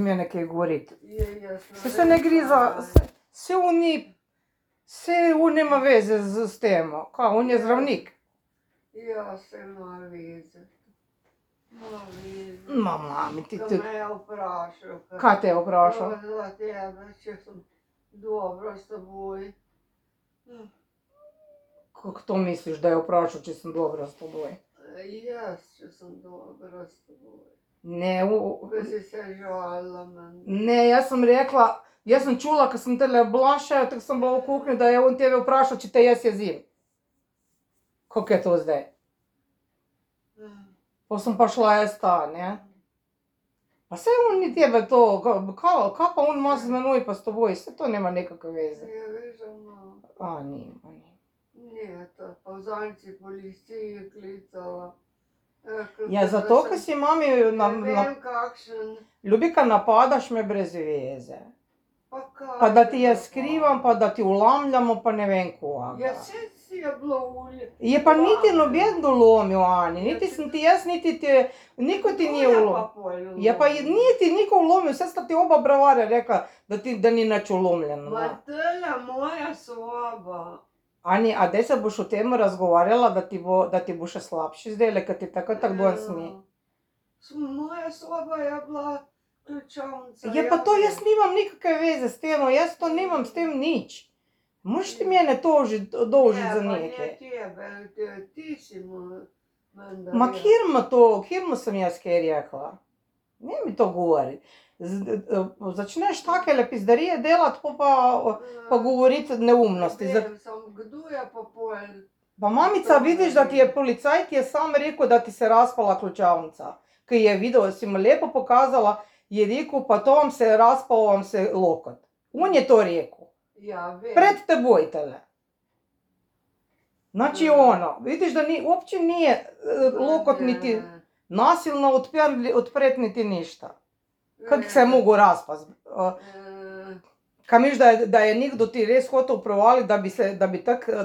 Mene kaj govoriti. Se ne ne gre za, se on nema veze s tem, kaj, on je zdravnik. Ja, se ima veze. Ima veze. Mami, ti Ko me je vprašal. Kaj te je vprašal? Za tebe, če sem dobra s teboj. Kako to misliš, da je vprašal, če sem dobra s teboj? Jaz, če sem dobra s teboj. Ne, Ko si se žalila meni. ne, jaz sem rekla, jaz sem čula, ko sem tele bila še, tako sem bila v kuhinji, da je on tebe vprašal, če te jaz jezim. Kako je to zdaj? Pa sem pa šla jaz ta, ne? Pa saj on ni tebe to, kaj pa on ima z menoj pa s teboj, saj to nema nekakve veze. Ja, veš, da ima. Nima. Ne, to pa zadnjič si policiji klicala. Ja, zato, ker si mami Ne vem, kakšen. Ljubika, napadaš me brez veze. Pa kaj? Pa da ti jaz skrivam, pa da ti vlamljamo, pa ne vem koga. Ja, saj si je bilo ulje. Je pa niti noben dolomil, Ani, niti sem ti jaz, niti ti, niko ti ni vlomil. Je pa niti niko vlomil, saj sta ti oba bravarja rekla, da ni nič vlomljeno. Ma tole moja soba. Ani, a daj se boš o tem razgovarjala, da ti bo še slabše zdajle, ker ti tako danes ni. Moja soba je bila ključavnica. Je pa to, jaz nimam nikakve veze s tem, jaz to nimam s tem nič. Moraš ti mene dolžiti za nekaj. Ne, pa ne tebe, ti si menda. Ma kjer mu sem jaz kaj rekla? Ne mi to govori. Začneš takele pizdarije delati, pa govoriti neumnosti. Vem, samo kdo je pa pol? Pa mamica, vidiš, da ti je policaj, ti je sam rekel, da ti se razpala ključavnica. Ki je videl, si mu lepo pokazala, je rekel, pa to vam se je razpal, vam se lokot. On je to rekel. Ja, vem. Pred teboj tele. Znači ono, vidiš, da uopće nije lokot niti nasilno odpret niti ništa. Kako se je mogel razpast? Kaj misliš, da je nekdo ti res hotel provaliti,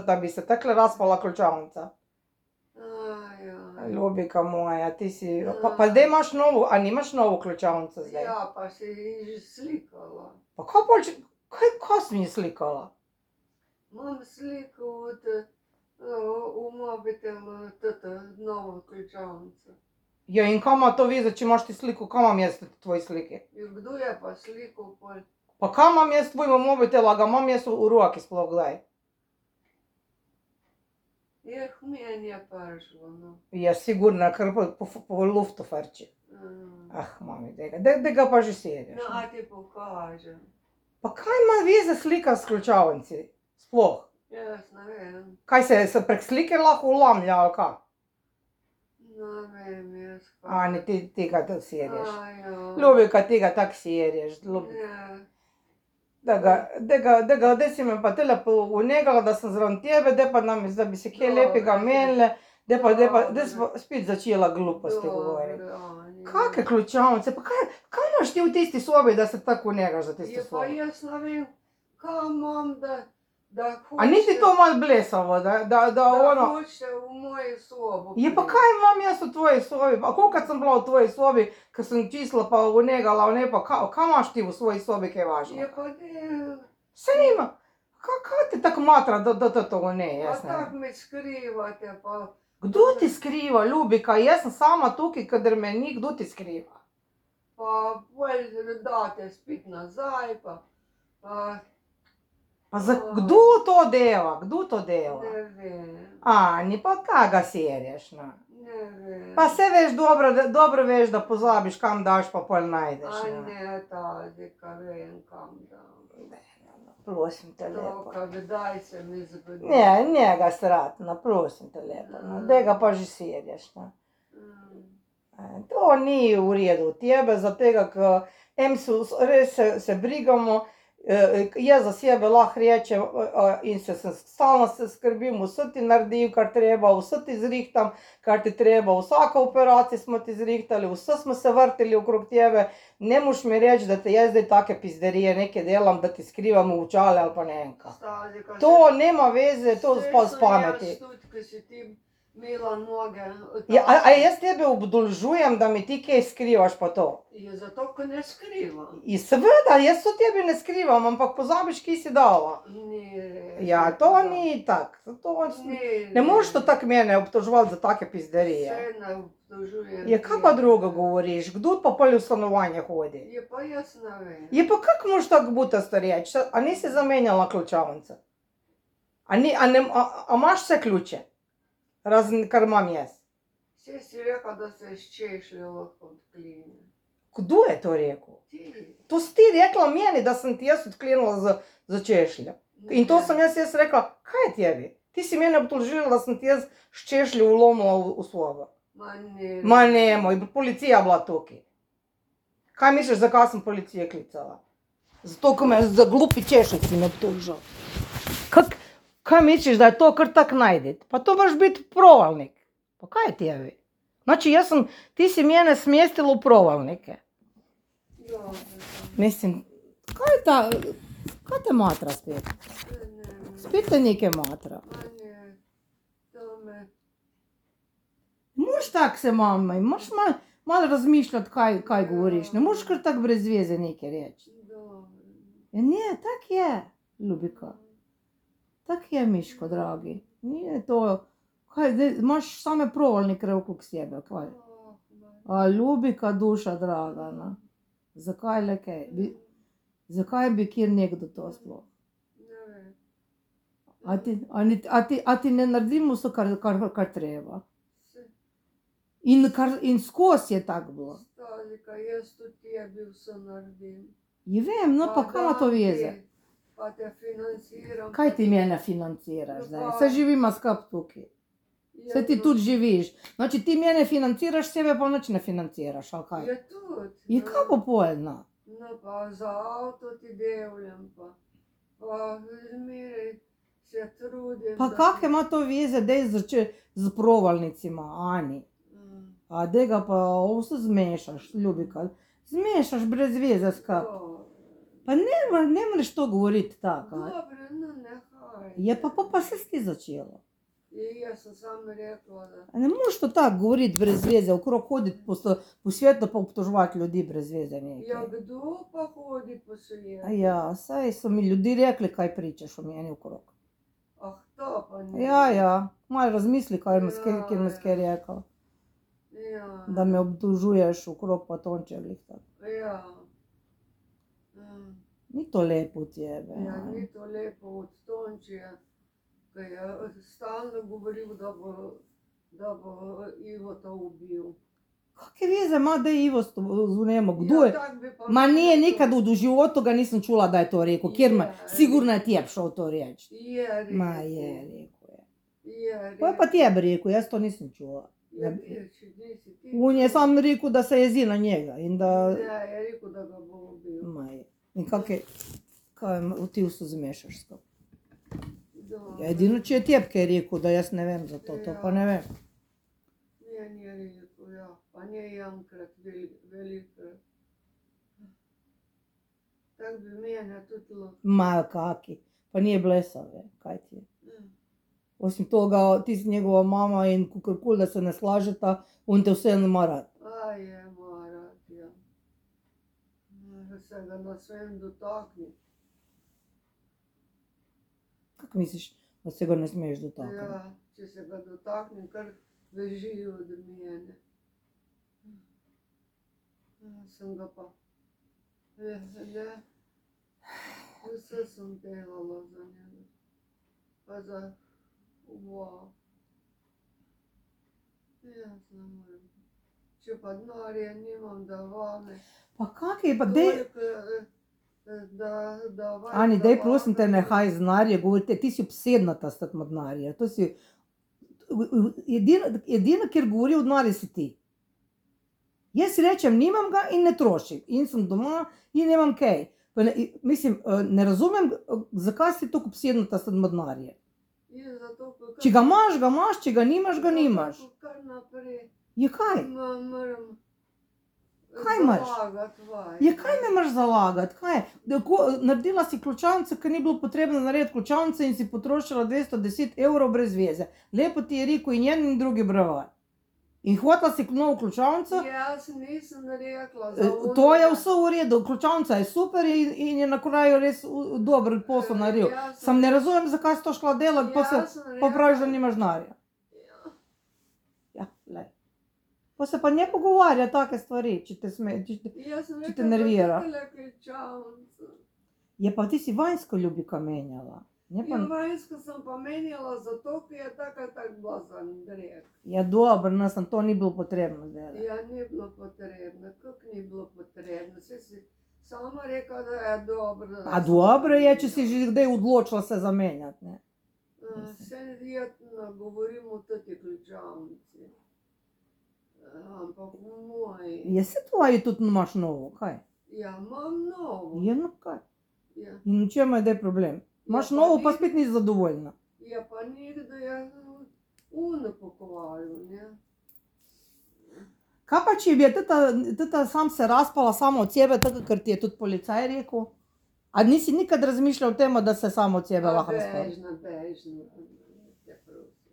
da bi se takle razpala ključavnica? Ljubika moja, ti si, pa zdaj imaš novo, a nimaš novo ključavnico zdaj? Ja, pa si že slikala. Pa kaj si mi slikala? Imam sliko v mobitelu, novo ključavnico. Ja, in kaj ima to veze, če imaš ti sliko, kaj imam jaz tvoji sliki? Ja, kdo je pa sliko pol? Pa kaj imam jaz tvojemu mobitelu, a ga imam jaz v roki sploh kdaj? Meni je prišlo, no. Ja, sigurno, ker po luftu frči. Mami, daj ga pa že seriš. No, a ti pokažem. Pa kaj ima veze slika s ključavnici? Sploh. Jaz ne vem. Kaj se prek slike lahko vlamlja, ali kaj? Ne vem, jaz kaj. Ani, ti ga tako seriš. Ja. Ljubika, ti ga tako seriš. Ja. Daj si me pa tele unegala, da sem zraven tebe, daj pa da bi se kaj lepega menile, daj pa spet začela gluposti govoriti. Kake ključavnice, pa kaj imaš ti v tisti sobi, da se tako unegaš za tisto Ja, pa sobo? jaz ne vem, kaj imam, da A nisi to malo blesavo, da ono... hočete v moji sobo. Ja, pa kaj imam jaz v tvoji sobi, a kolikrat sem bila v tvoji sobi, ko sem čistila pa unegala, pa kaj imaš ti v svoji sobi, kaj važno? Ja, pa ne. Saj nima, kaj te tako matra, da to ne, Pa jaz ne vem. tako me skrivate, pa... Kdo ti skriva, Ljubika, jaz sem sama tukaj, kadar me ni, kdo ti skriva? Pa bolj date spet nazaj, pa... Pa kdo to dela, kdo to dela? Ne vem, Ani, pa kaj ga serješ, no? ne vem. Pa saj veš, dobro veš, da pozabiš, kam daš, pa pol najdeš, A no. ne, Tadika, vem, kam dam. Prosim te lepo. To, kdaj se mi zgodi. Ne, njega srat, no, prosim te lepo, no, daj ga pa že serješ, no. To ni v redu od tebe, zato ker res se brigamo, jaz za sebe lahko rečem in stalno se skrbim, vse ti naredim, kar treba, vse ti zrihtam, kar ti treba, vsako operacijo smo ti zrihtali, vse smo se vrteli okrog tebe, ne moš mi reči, da te jaz zdaj take pizderije nekaj delam, da ti skrivam v očale ali pa ne vem kaj. To nema veze, to pa s pameti. Saj sem jaz tudi, ko si ti Mila noge. Ja, a jaz tebe obdolžujem, da mi ti kaj skrivaš pa to? Je zato, ker ne skrivam. In seveda, jaz to tebi ne skrivam, ampak pozabiš, ki si dala. Ni res. Ja, to ni tako. Ne moreš to tako mene obtoževati za take pizderije. Vse ne obtožujem. Ja, kaj pa drugo govoriš? Kdo pa pol v stanovanje hodi? Je pa jaz ne vem. Je pa kako moš tako butasto reči? A nisi zamenjala ključavnice? A imaš vse ključe? Razen kar imam jaz. Vse si rekel, da se s češljo lahko odklene. Kdo je to rekel? Ti. To si ti rekla meni, da sem ti jaz odklenila za češljo. In to sem jaz rekla, kaj je tebi? Ti si mene obtožila, da sem ti jaz s češljo vlomila v sobo. Ma ne, moj, policija bila tukaj. Kaj misliš, zakaj sem policijo klicala? Zato, ko me za glupi češljici me obtožil. Kaj misliš, da je to kar tak najdeti? Pa to moraš biti provalnik. Pa kaj je tebi? Znači, ti si mene smestila v provalnike. Mislim, kaj te matra spet? Spet te nekaj matra. Moš tak se mama, moš malo razmišljati, kaj govoriš. Ne moš kar tak brez veze nekaj reči. Ne, tak je, ljubika. Tak je, Miško, dragi. Nije to, imaš same provalnike okrog sebe, kaj? A ljubika duša, draga, na. Zakaj le kaj? Zakaj bi kjer nekdo to sploh? A ti ne naredimo vse, kar treba? In skozi je tako bilo. Stalika, jaz tudi tebi vse naredim. Je vem, no pa kaj ima to veze? Pa te financiram. Kaj ti mene financiraš zdaj? Se živimo skup tukaj. Se ti tudi živiš. Znači ti mene financiraš, sebe pa nič ne financiraš, ali kaj? Je tudi. Je kaj pa poljno? No pa za avto ti devljam pa. Pa zmeraj se trudim. Pa kak ima to veze, dej z provalnicima, Ani? A dega pa vse zmešaš, ljubika. Zmešaš brez veze skup. Pa ne moreš to govoriti tako. Dobro, no nehaj. Je pa se ti začelo. Jaz sem samo rekla, da... Ne moreš to tako govoriti brez veze, okrog hoditi po svetu pa obtoževati ljudi brez veze nekaj. Ja, kdo pa hodi po svetu? Ja, saj so mi ljudi rekli, kaj pričaš o meni okrog. Ah, to pa ni. Ja, malo razmisli, kjer mi skaj rekel. Ja. Da me obtožuješ okrog pa tonče glih tako. Ja. Ni to lepo od tebe. Ja, ni to lepo od Tončija, ki je stalno govoril, da bo Ivo to ubil. Kakve veze ima, da je Ivo z njemu? Kdo je? Ma ne, nekad v životu ga nisem čula, da je to rekel. Sigurno je tebe šel to reči. Je rekel. Ma je, rekel je. Je rekel. Pa je pa tebe rekel, jaz to nisem čula. Ja, če nisi ti. On je sam rekel, da se jezi na njega in da... Ja, je rekel, da ga bo ubil. Ma je. In kaj ti vse zmešaš skup. Ja, edino, če je tebe kaj rekel, da jaz ne vem za to pa ne vem. Ne, ni rekel, ja. Pa ne enkrat, velikrat. Tak bi mene tudi lahko. Ma kaki, pa nije blesal, kaj ti je. Osim toga, ti si njegova mama in kakorkoli, da se ne slažeta, on te vseeno ima rad. A je, ima rad, ja. Se ga na svem dotakni. Kako misliš, da se ga ne smeš dotakniti? Ja, če se ga dotaknem, kar beži od mene. Sem ga pa... Vse sem delala za njega. Pa za... Wow. Jaz ne morem. Če pa denarja nimam, da vame. Pa kak je, pa dej... Ani, dej prosim te, nehaj z denarja govoriti, ti si obsednata s takma denarja. To si... Edino, kjer govori o denarju, si ti. Jaz rečem, nimam ga in ne trošim. In sem doma in nemam kaj. Mislim, ne razumem, zakaj si tako obsednata s takma denarja. Če ga imaš, če ga nimaš, ga nimaš. Kar naprej. Je kaj? Moram Kaj imaš? Zalagat vaj. Ja, kaj me imaš zalagati? Kaj? Naredila si ključavnico, ker ni bilo potrebno narediti ključavnice in si potrošila 210 evrov brez veze. Lepo ti je rekel in en in drugi bravar. In hotela si novo ključavnico, Jaz nisem rekla za to je vse v redu, ključavnica je super in je na kraju res dober posel naredil. Sam ne razumem, zakaj si to šla delati, pa praviš, da nimaš denarja. Ja, lej. Pa se pa ne pogovarja take stvari, če te nervira. Je pa ti si vanjsko ljubika menjala. Vanjsko sem pa menjala zato, ker je tako bila za drek. Ja, dobro, nas nam to ni bilo potrebno delati. Ja, ni bilo potrebno. Kako ni bilo potrebno? Saj si sama rekla, da je dobro. A dobro je, če si že kdaj odločila se zamenjati, ne? Se verjetno govorim o toti ključavnici. Ampak v moji. Je se tvoji tudi imaš novo, kaj? Ja, imam novo. Je, no kaj? Ja. In v čem je problem? Imaš novo, pa spet nisi zadovoljna. Ja, pa nikdo je pokvaril, ne? Kaj pa, če bi teta sam se raspala samo od sebe, tako, ker ti je tudi policaj rekel? A nisi nikad razmišljal o tem, da se samo od sebe lahko razpala? Bežno. Te prosim.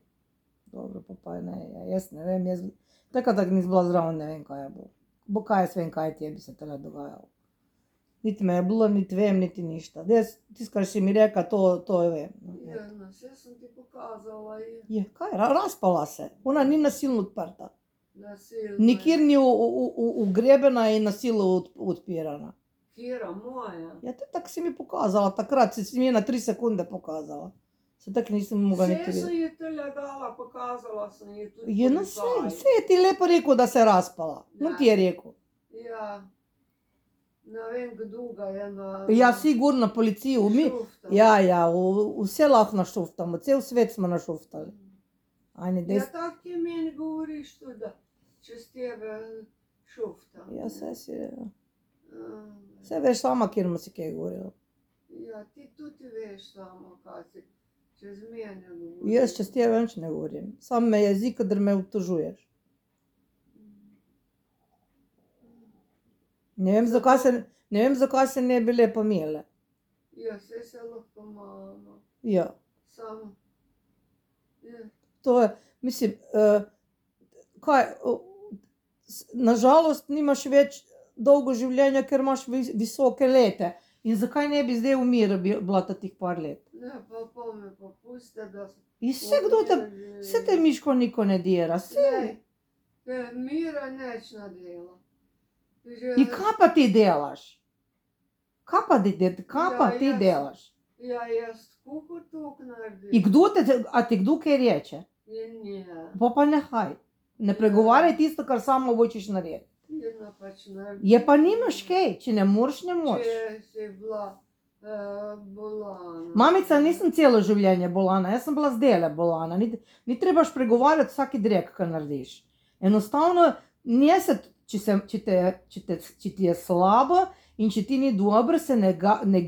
Dobro, pa ne, jaz ne vem, tako nisi bila zdravo, ne vem, kaj je bilo. Bo kaj jaz vem, kaj ti je bi se tele dogajalo. Niti me je bilo, niti vem, niti ništa. Tisto, kar si mi reka, to je vem. Ja, vse sem ti pokazala. Je, kaj, raspala se. Ona ni nasilno odprta. Nasilno. Nikjer ni ugrebena in nasilno odpirana. Kjera moja? Ja, tako si mi pokazala, takrat si mi na 3 sekunde pokazala. Se tako nisem mogla niti Vse sem videti. ji te legala, pokazala sem ji tudi Je, no vse je ti lepo rekel, da se raspala. On ti je rekel. Ja. Ne vem, kdo ga je na... Ja, sigurno policiju. šuftal. Ja, vse lahko našuftamo, cel svet smo našuftali. Ajne, Ja, tako ti meni govoriš tudi, da čez tebe šuftam. Ja, vse veš sama, kjer mu si kaj govorila. Ja, ti tudi veš samo, kaj si čez mene govoriš. Jaz čez tebe nič ne govorim. Sam me jezik, kadar me obtožuješ. Ne vem, zakaj se ne bi lepo imele. Ja, vse se lahko malo. Ja, Sam. Ja. to je, mislim, nažalost nimaš več dolgo življenja, ker imaš visoke lete. In zakaj ne bi zdaj v miru bila tih par let? Ne, pa me popuste, da sem... In vse te Miško niko ne dira, vse. Mira neč nadela. In kaj pa ti delaš? Kaj pa ti delaš? Ja, jaz kuhar tok naredim. In a ti kdo kaj reče? Ne. Pa nehaj. Ne pregovarjaj tisto, kar samo hočeš narediti. Jedna pač naredim. Je pa nimaš kaj, če ne moreš, ne moreš. Če si bila bolana. Mamica, nisem celo življenje bolana, jaz sem bila zdajle bolana. Ni trebaš pregovarjati vsaki drek, kar narediš. Enostavno, če ti je slabo in če ti ni dobro, se ne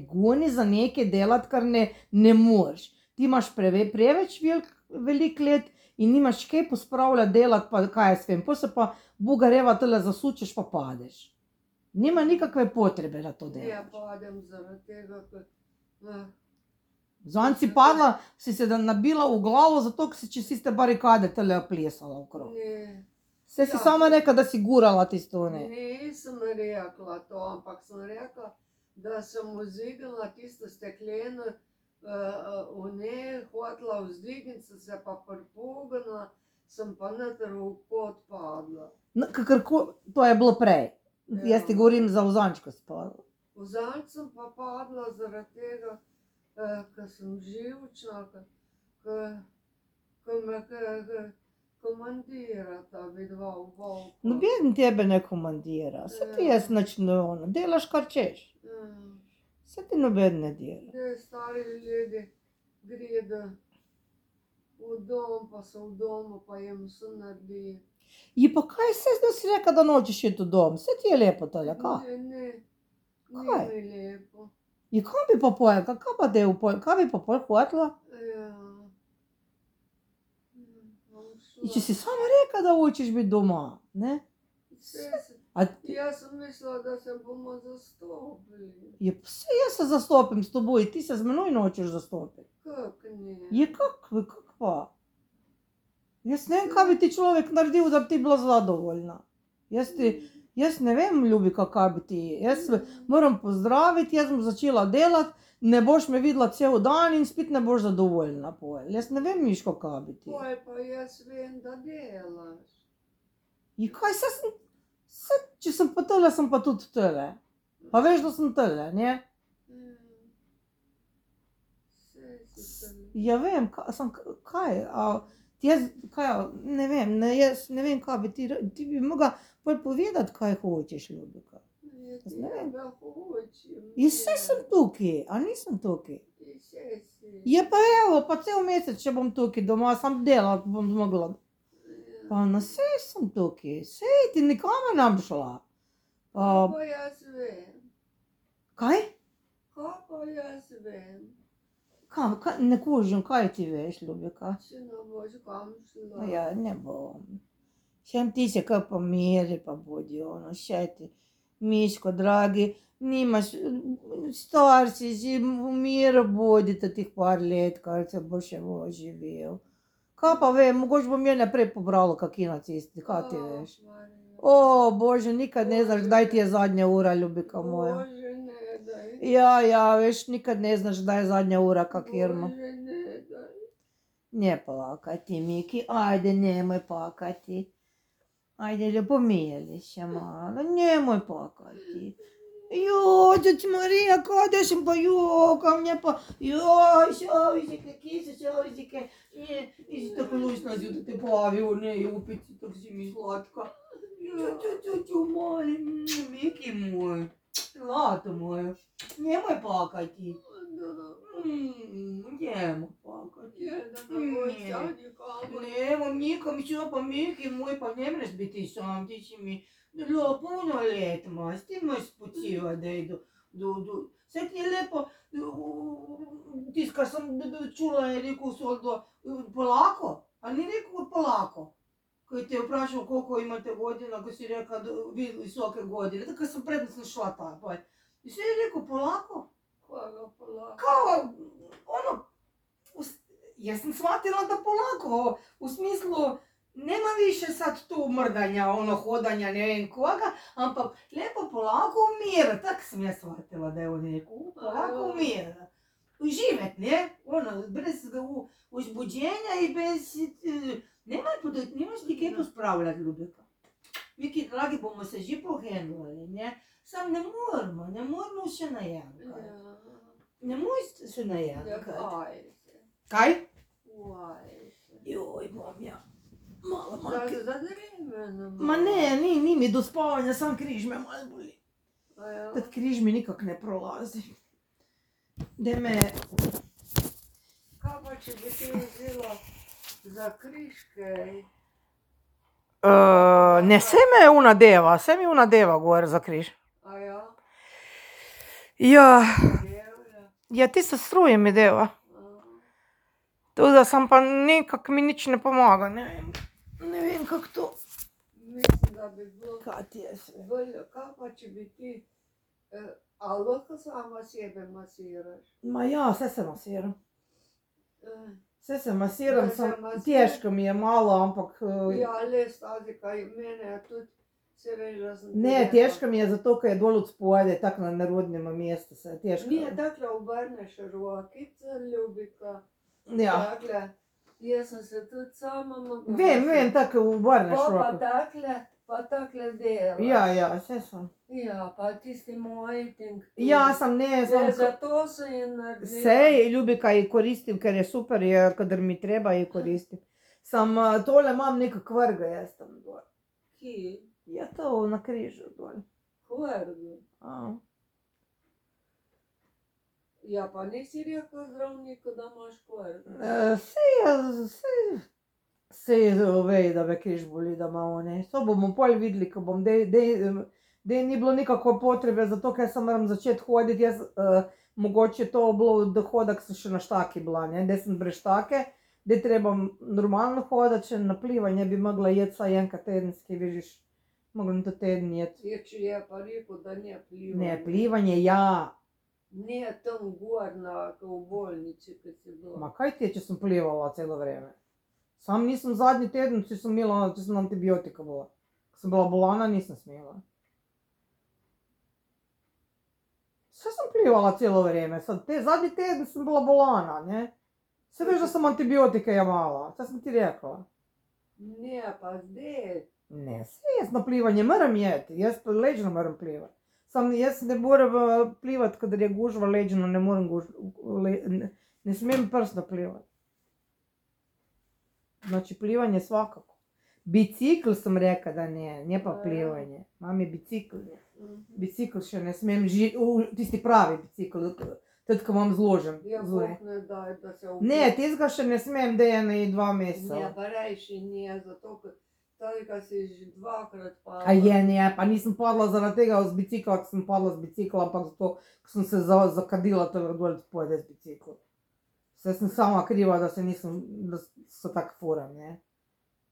goni za nekaj delati, kar ne moreš. Ti imaš preveč velik let in nimaš kaj pospravljati, delati, pa kaj jaz vem. Potem se pa bugareva tole zasučeš, pa padeš. Nima nikakve potrebe, da to delaš. Ja, padem zaradi tega, ker... Zanj si padla, si se nabila v glavo, zato ker si čez tiste barikade tele plesala okrog. Ne. Vse si sama rekla, da si gurala tisto, ne. Nisem rekla to, ampak sem rekla, da sem vzdignila tisto stekleno, v njej hotela vzdigniti, sem se pa pripognila, sem pa noter v kot padla. To je bilo prej. Jaz ti govorim za vzančko si padla. Vzanč sem pa padla zaradi tega, ker sem živčna, ker me komandirata vidva v volku. Noben tebe ne komandira, se ti jaz nič ne ono, delaš kar češ. Se ti noben ne dela. Te stari ljudje gredo v dom, pa so v domu, pa jim vse naredi. Je pa kaj se zdaj si reka, da nočeš iti v dom? Se ti je lepo tole, kaj? Ne, Kaj? ni mi lepo. In kaj bi pa pojel, kaj bi pa pol hotela? Ja. In če si sama reka, da hočeš biti doma, ne? Vse se A Jaz sem mislila, da se bomo zastopili. je, vse jaz se zastopim s toboj, ti se z menoj nočeš zastopiti. Kak ne? Je kak pa? Jaz ne vem, kaj bi ti človek naredil, da bi ti bila zadovoljna. Jaz ne vem, ljubika, kaj bi ti. Jaz moram pozdraviti, jaz bom začela delati, ne boš me videla cel dan in spet ne boš zadovoljna. Jaz ne vem, Miško, kaj bi ti. Poj, pa jaz vem, da delaš. Kaj če sem pa tele, sem pa tudi tele. Pa veš, da sem tele, ne? Vse si tele. Ja vem, kaj, ne vem, jaz ne vem, kaj bi ti bi mogla povedati, kaj hočeš, ljubika. Jaz ne vem. tebe hočem. Jaz vse sem tukaj, a nisem tukaj. Ti vse si. Je pa evo, pa cel mesec, če bom tukaj doma, sam delati bom zmogla. Pa na vse sem tukaj, sej ti nikome ne bi šla. Kaj pa jaz vem? Kaj? Kaj pa jaz vem? Ne kužim, kaj ti veš, ljubika? Če ne boš kam šla. Ja, ne bom. Šem ti se kaj pomiri, pa bodi ono, še ti. Miško, dragi, nimaš, star si, že v miru bodite tih par let, kar se bo še živel. Kaj pa vem, mogoče bom je naprej pobrala kaki nacisti, kaj ti veš? O, Bože, nikad ne znaš, kdaj ti je zadnja ura, ljubika moja. Bože, ne daj. Ja, veš, nikad ne znaš, kdaj je zadnja ura, kak irma. Bože, ne daj. Ne plakati, Miki, ajde, nemoj plakati. Ajde, lepo pomijeli še malo, nemoj plakati. Joj, teć Marija, kada sam pa jokam, nje pa, joj, šovizike, kise šovizike, nisi tako lušna si da te plavio, ne, jupici, tako si mi slatka. Ču, molim, Miki moj, zlato moje, nemoj plakati. Nemoj plakati. Nemoj nikom, što pa Miki moj, pa ne mreš biti sam, ti si mi puno let imaš, ti možeš spočivati da idu. Sve ti je lepo, tiskar sam čula je rekao Soldo, polako, a ni rekao polako. Koji te je vprašao koliko imate godina, ko si rekao visoke godine, tako sam prednosno šla tako. I sve je rekao polako. Koga polako? Kao, ono, ja sam shvatila da polako, u smislu, nema više sad tu mrdanja, ono, hodanja, ne vem koga, ampak lepo polako umira, tak sam ja shvatila da je on rekao, polako umira. Uživet, ne, ono, bez uzbuđenja i bez, nemaš ti kaj pospravljati, ljubika. Viki, dragi, bomo se že pohenuli, ne, sam ne moramo še najankati. Ne moj se najankati. Kaj? Joj, bom ja. Malo manjke. Ma ne, ni mi do spavanja, sam križ me malo boli. Tad križ mi nikak ne prolazi. Da me... Kaj pa če bi ti vzela za križke? Ne, se mi una deva gor za križ. A ja? Ja, Devlja? ja ti se struje mi deva. To da sam pa nekak mi nič ne pomaga, ne vem kak to. Mislim, da bi bilo Kaj ti je sve? bolje. Kaj pa če bi ti, a lahko sama sebe masiraš? Ma ja, sve se masiram. Eh, Sve se masiram, Da se masiraš? težko mi je malo, ampak... Ja, le stazi, kaj mene je tudi, se veš, da sem... Ne, težko mi je zato, ker je dol od spode, tako na nerodnem mestu se je težko. Nije, dakle, obrneš rokice, ljubika. Ja, Dakle, jaz sem se tudi sama mogla... vem, tako obrneš roko. Pa takle delaš. Ja, vse sem. Ja, pa tisti moj ting. Ja, sem Zato se je naredila. Sej, ljubika ji koristim, ker je super, kadar mi treba ji koristim. Sam tole imam neka kvrga, jaz tam dol. Ki? Ja, to na križu dol. Kvrgi. A. Ja, pa nisi rekel zdravniku, da imaš kvrgi. Sej ve, da me križ boli, da ima one. To bomo pol videli, ko bom, dej ni bilo nikako potrebe, zato ker sem moram začeti hoditi, jaz mogoče to bilo, da hodak sem še na štaki bila, ne, da sem brez štake, da treba normalno hodati, še na plivanje bi mogla jeti saj enkrat tedenski, vidiš, Mogla to teden jeti. Če je pa rekel, da ne plivanje. Ne, plivanje, ja. Ne tam gor v bolnici, ko si bila. Ma kaj ti je, če sem plivala celo vreme? Sam nisem zadnji teden, če sem antibiotika bila. Ko sem bila bolana, nisem smela. Vse sem plivala celo vreme, zadnji teden sem bila bolana, ne. Se veš, da sem antibiotike jemala, to sem ti rekla. Ne, pa zdaj. Ne, saj jaz na plivanje moram jeti, jaz pa ležno moram plivati. Sam jaz ne morem plivati, kadar je gužva ležno, ne morem ne smem prsno plivati. Znači plivanje svakako. Bicikl sem rekla, da ne pa plivanje. Imam je bicikl. Bicikl še ne smem, tisti pravi bicikl, tudi ko imam zložen. Ja, Bog ne daj, da se Ne, tistega še ne smem, da je 2 meseca. Ne, pa rejši ne, zato ker tega si že 2-krat padla. A je, ne, pa nisem padla zaradi tega z bicikla, ko sem padla z bicikla, ampak zato, ko sem se zakadila tega dol, da pojede z bicikla. Vse sem sama kriva, da so tako furam, ne.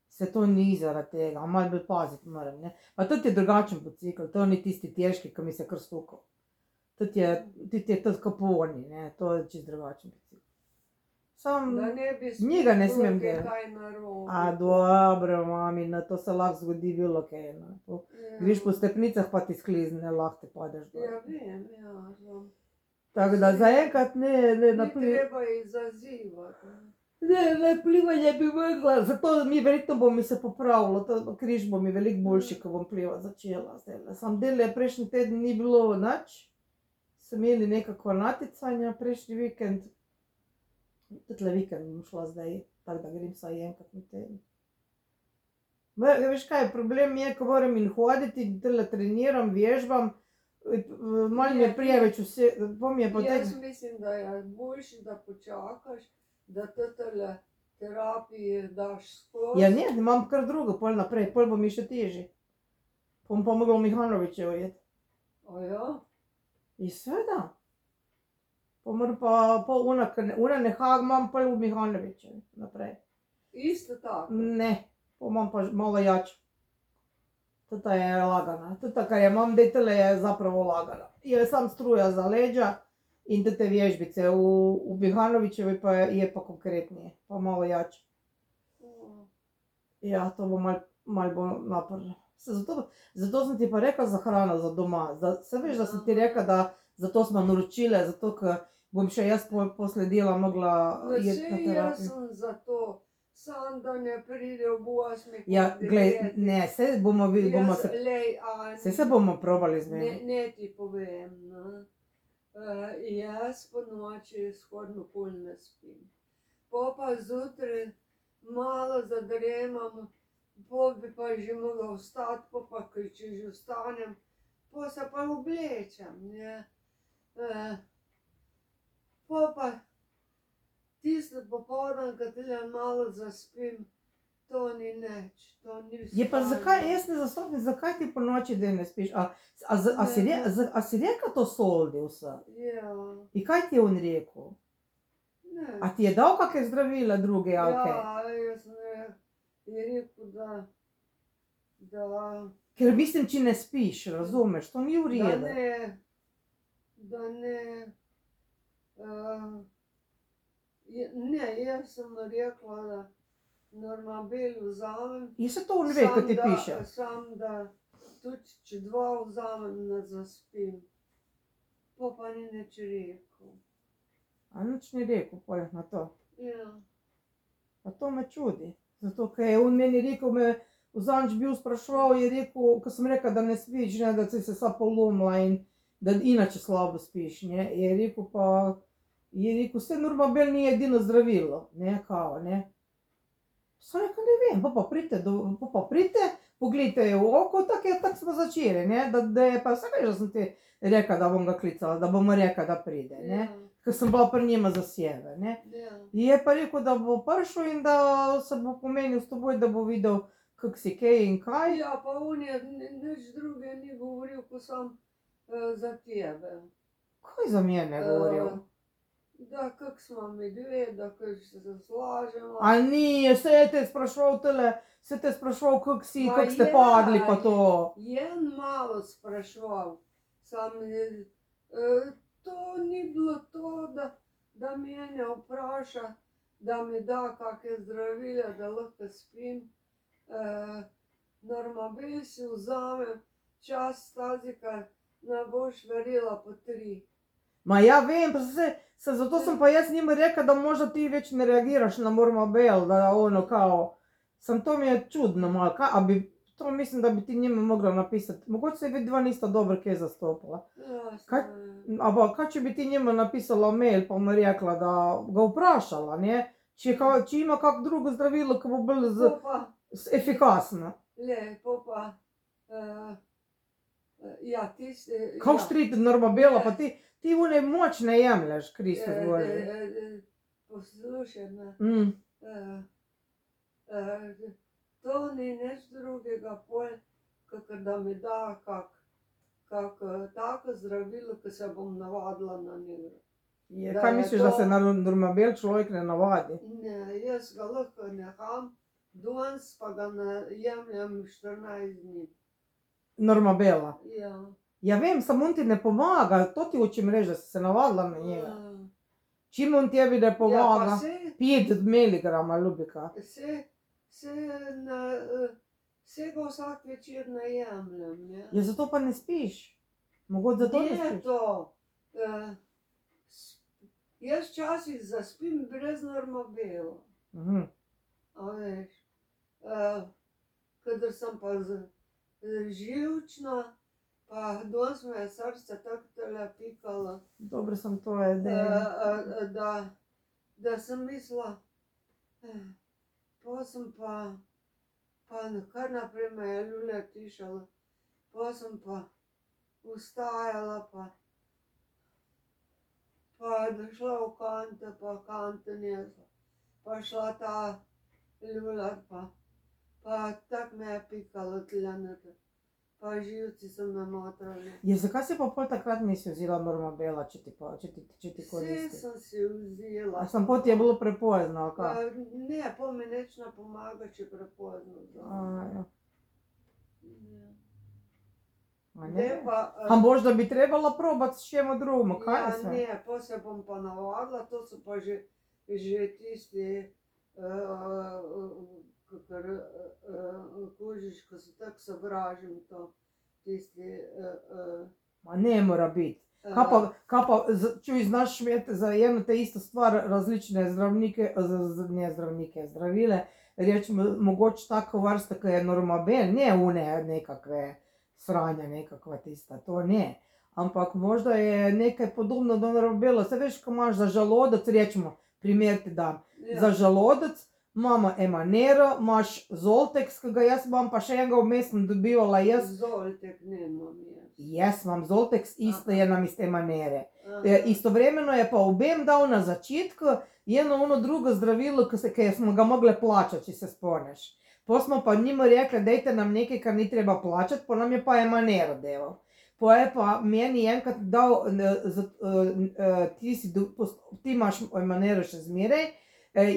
Se to ni zaradi tega, malo bolj paziti moram, ne. Pa tudi je drugačen bicikl, to ni tisti težki, ki mi se kar stukal. Tudi je tudi kaponi, ne, to je čisto drugačen bicikl. Sam, Da ne bi njega ne smem spet delati. kaj narobe. A dobro, mami, na to se lahko zgodi bilo kaj, no. Greš po stepnicah, pa ti sklizne, lahko te padeš dol. Ja, vem, ja. Tako da zaenkrat ne Ni treba jih zazivati. Ne, plivanje bi mogla, zato verjetno bo mi se popravilo, križ bo mi veliko boljši, ko bom plivati začela zdajle. Sam dele prejšnji teden ni bilo nič, so imeli nekakva naticanja prejšnji vikend. Tudi vikend bom šla zdaj, tako da grem vsaj enkrat na teden. Veš kaj, problem je, ko moram in hoditi, tele treniram, vežbam, malo mi je preveč vse, Jaz mislim, da je boljše, da počakaš, da tele terapije daš skozi. Ja ne, imam kar drugo, pol naprej, pol bo mi še težje. Bom pa mogla v Mihanovičevo iti. A ja? In seveda. Pa moram pa una neha, imam pol v Mihanovičevo naprej. Isto tako? Ne, pa imam pa malo jače. Tota je lagana, tota, kar je imam, tele je zapravo lagana. Je sam struja za leđa in te vježbice, v Mihanovičevi pa je pa konkretnije, pa malo jače. Ja, to bo malo bolj naporno. Zato sem ti pa rekla za hrano za doma, se veš, da sem ti rekla, da zato smo naročile, zato ker bom še jaz posledila mogla jeti na Vse jaz terapijo. sem za to, sam da ne pride v 8. Ja, glej, ne, se bomo se bomo probali z njim. Ne ti povem, no. Jaz po noči skoraj pol ne spim. Po pa zjutraj malo zadremam, po bi pa že mogla vstati, po pa, če že vstanem, po se pa oblečem, ne. Po pa tisto popoldan, ko tule malo zaspim, to ni nič, to ni Je pa zakaj, jaz ne zastopim, zakaj ti po noči da ne spiš, a si rekla to soldi vse? Ja, In kaj ti je on rekel? ne. A ti je dal kakšne zdravila druge, ali kaj? Ja, jaz je rekel, da Ker mislim, če ne spiš, razumeš, to ni v redu. da ne, ne, jaz sem rekla, da Normabel vzamem. In se to on ve, ko ti piše. Sam da tudi če 2 vzamem, ne zaspim. Po pa ni nič rekel. A nič ni rekel pol na to. Ja. Pa to me čudi. Zato, ker je on meni rekel, me vzanič bil spraševal, je rekel, ko sem rekla, da ne spiš, ne, da si se vsa polomila in da inače slabo spiš, ne. Je rekel, vse Normabel ni edino zdravilo, ne, kao, ne. Sem rekla, ne vem, pa pridite, pogledajte v oko, tako smo začeli, ne, da je pa, vse veš, da sem ti rekla, da bom ga klicala, da bomo rekla, da pride, ne. Ker sem bila pri njima za sebe, ne. Je pa rekel, da bo prišel in da se bo pomenil s teboj, da bo videl, kako si kaj in kaj. Ja, pa on je nič druge ni govoril, ko sam za tebe. Kaj za mene govoril? da kak smo mi dve, da kak se slažemo. A nije, se te sprašval tele, se te sprašval, kak si, Ma kak ste je, padli pa to. Je malo spraševal, sam to ni bilo to, da mene vpraša, da mi da kakšne zdravila, da lahko spim. Normabel si vzamem, čas stazika, ne boš verjela po 3. Ma ja vem, pa zato sem pa jaz njima rekla, da možda ti več ne reagiraš na Normabel, da ono kao, to mi je čudno malo, a bi, to mislim, da bi ti njima mogla napisati, mogoče se vi dva nista dobro kaj zastopila. Ampak kaj če bi ti njima napisala mail, pa mu rekla, da ga vprašala, ne? Če ima kak drugo zdravilo, ki bo bolj efikasno. Lepo pa, ja, tisti... Kako štriti Normabela, pa ti une moč ne jemlješ, Kristus Bože. Poslušaj me, to ni nič drugega pol, kakor da mi da kak tako zdravilo, ki se bom navadila na njega. Kaj misliš, da se na Normabel človek ne navadi? Ne, jaz ga lahko neham, danes pa ga ne jemljem 14 dni. Normabela? Ja. Ja vem, samo on ti ne pomaga, to ti hočem reči, da si se navadila na njega. Čim on tebi ne pomaga, 5 miligrama ljubika. Se ga vsak večer ne jemljem, ne. Ja, zato pa ne spiš. Mogoče zato ne spiš. Ne to. Jaz včasih zaspim brez Normabela. A veš. Kadar sem pa živčna, pa danes me je srce tako tele pikalo. Dobro sem to edela. Da sem mislila, pa sem pa kar naprej me je lulja tišala, pa sem pa vstajala, pa šla v kante, pa kante nesla, pa šla ta ljuljat, pa tako me je pikalo tlenete, pa živci so me motrali. Ja, zakaj si pa pol takrat nisi vzela Normabela, če ti koristi? Vse sem si vzela. A sem pol ti je bilo prepozno, ali kaj? Ne, pol mi nič ne pomaga, če prepozno vzamem. A možda bi trebala probati s čemu drugim, kaj Ja, sve? ne, pol se bom pa navadila, to so pa že tisti, kakor kužiš, ko se tako sovražim to, tisti... Ma ne mora biti. Kaj pa, čuj, znaš imeti za eno te isto stvar različne zdravnike, ne zdravnike, zdravile, rečemo, mogoče tako vrsta, ki je Normabel, ne une nekakve sranja, nekakva tista, to ne. Ampak možda je nekaj podobno do Normabela, se veš, ko imaš za žalodec, rečemo, primer ti dam, za žalodec imamo Emanero, imaš Zoltex, ki ga jaz imam, pa še enega vmes sem dobivala jaz. Zoltek nemam jaz. Jaz imam Zoltex, isto je namesto Emanere. Istovremeno je pa obem dal na začetku ono drugo zdravilo, ki smo ga mogli plačati, če se spomniš. Po smo pa njima rekli, dajte nam nekaj, kar ni treba plačati, po nam je pa Emanero delal. Po je pa meni enkrat dal, ti imaš Emanero še zmeraj,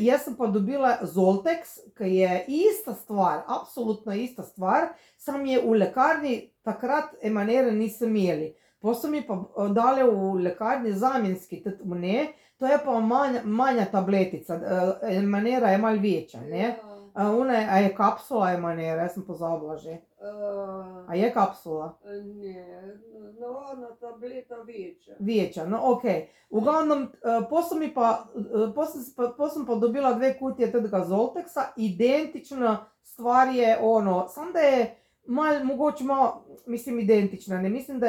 jaz sem pa dobila Zoltex, ki je ista stvar, absolutno ista stvar, sam je v lekarni takrat Emanere nisem imeli. Po so mi pa dali v lekarni zamenjski, to je pa manja tabletica, Emanera je malo večja, ne. A je kapsula Emanera, jaz sem pozabila že. A je kapsula? Ne, navadna tableta večja. Večja, no okej. V glavnem, po sem pa dobila 2 kutije tega Zoltexa, identična stvar je ono, samo da je mogoče malo, mislim identična, ne mislim,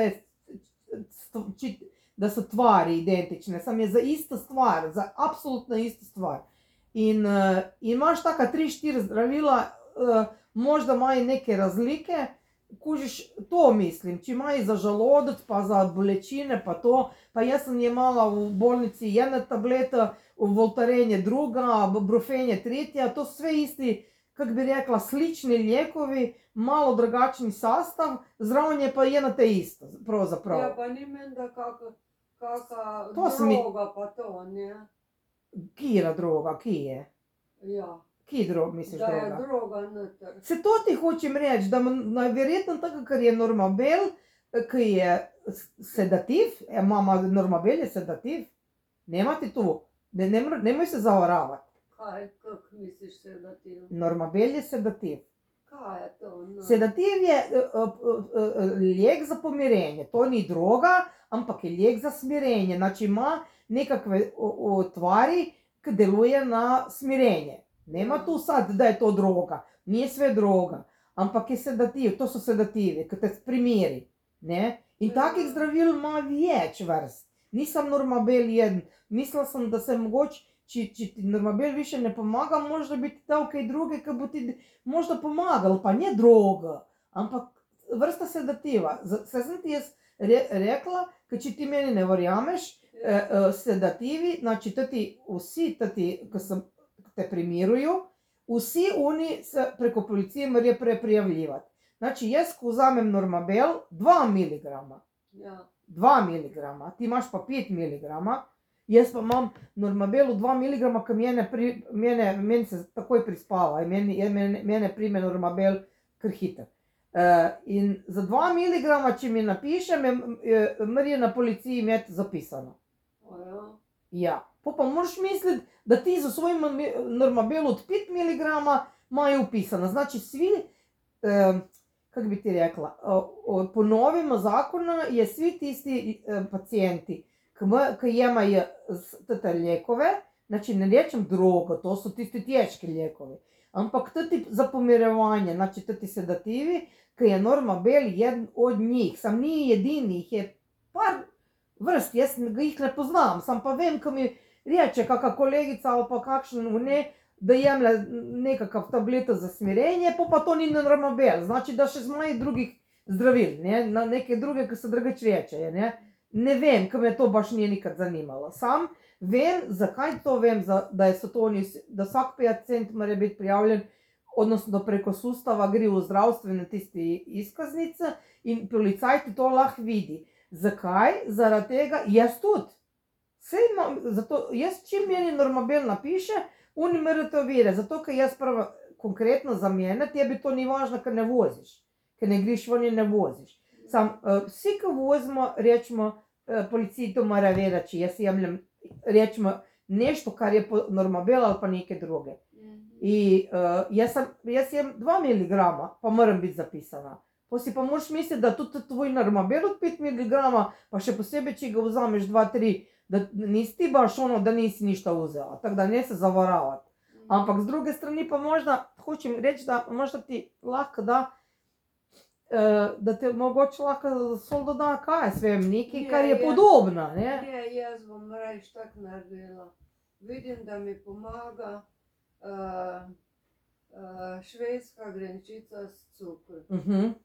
da so tvari identične, samo je za isto stvar, za absolutno isto stvar. In imaš taka 3-4 zdravila, možda imajo neke razlike, kužiš, to mislim, če imajo za žalodec, pa za bolečine, pa to, pa jaz sem jemala v bolnici ena tableta, Voltaren je druga, Brufen je tretja, to so sve isti, kako bi rekla, slični lijekovi, malo drugačni sastav, zraven je pa ena te isto, pravzaprav. Ja, pa ni menda kaka To se mi- droga pa to, ne? Kira droga, ki je? Ja, Ki misliš da je droga? droga noter. Se to ti hočem reči, da najverjetno tako, ker je Normabel, ki je sedativ, mama Normabel je sedativ, nemate tu, nemoj se zavaravati. Kaj, kak misliš sedativ? Normabel je sedativ. Kaj je to? No? Sedativ je lijek za pomirenje, to ni droga, ampak je lijek za smirenje, znači ima nekakve tvari, ki deluje na smirenje. Nema tu sad, da je to droga, nije sve droga, ampak je sedativ, to so sedativi, ki te primiri, ne? In takih zdravil ima več vrst, nisem Normabel jeden, mislila sem, da se mogoče, če ti Normabel više ne pomaga, možda bi ti dal kaj druge, ki bo ti možda pomagal, pa ne droga, ampak vrsta sedativa. Saj sem ti jaz rekla, ker če ti meni ne verjameš, sedativi, znači vsi tati, ki te primiruju, vsi oni se preko policije morajo prijavljivati. Znači jaz, ko vzamem Normabel, 2 miligrama, Ja. 2 miligrama, ti imaš pa 5 miligrama, jaz pa imam Normabelu 2 miligrama, ki meni se takoj prispava, mene prime Normabel kar hiter. In za 2 miligrama, če mi napiše, morajo na policiji imeti zapisano. Ja, pa moraš misliti, da ti za svoj Normabel od 5 miligrama imajo upisano. Znači svi, kako bi ti rekla, po novem zakonu je svi tisti pacijenti, ki jemajo te lijekove, znači ne rečem drogo, to so tisti težki lijekovi, ampak tudi za pomirevanje, znači tudi sedativi, ki je Normabel jedan od njih, sam ni edini, jih je par vrst, jaz jih ne poznam, sam pa vem, ko mi reče kakšna kolegica ali pa kakšen da jemlje nekakav tableto za smirenje, pa to ni Normabel, znači da še imajo drugih zdravil, neke druge, ki se drugače rečejo, ne. Ne vem, ker me to baš nije nikad zanimalo. Sam vem, zakaj to vem, da vsak pacient mora biti prijavljen, odnosno preko sustava gre v zdravstvene tiste izkaznice in policaj ti to lahko vidi. Zakaj? Zaradi tega, jaz tudi. Zato, jaz čim meni Normabel napiše, oni morajo to vedeti, zato ker jaz prvo, konkretno za mene, tebi to ni važno, ker ne voziš, ker ne greš ven in ne voziš. Sam, vsi, ki vozimo, rečemo, policiji to mora vedeti, če jaz jemljem, rečemo, nešto, kar je po Normabel ali pa neke druge. In jaz jem 2 miligrama, pa moram biti zapisana. Pa si pa moraš misliti, da tudi tvoj Normabel od 5 miligrama, pa še posebej, če ga vzameš 2-3, da nisi ti baš ono, da nisi ništa vzela, tako da ne se zavaravati. Ampak z druge strani pa možda, hočem reči, da možda ti lahko da te mogoče lahko sol doda kaj, svem, nekaj, kar je podobno, ne? Ne, jaz bom rajš tako naredila. Vidim, da mi pomaga švedska grenčica s cukrom.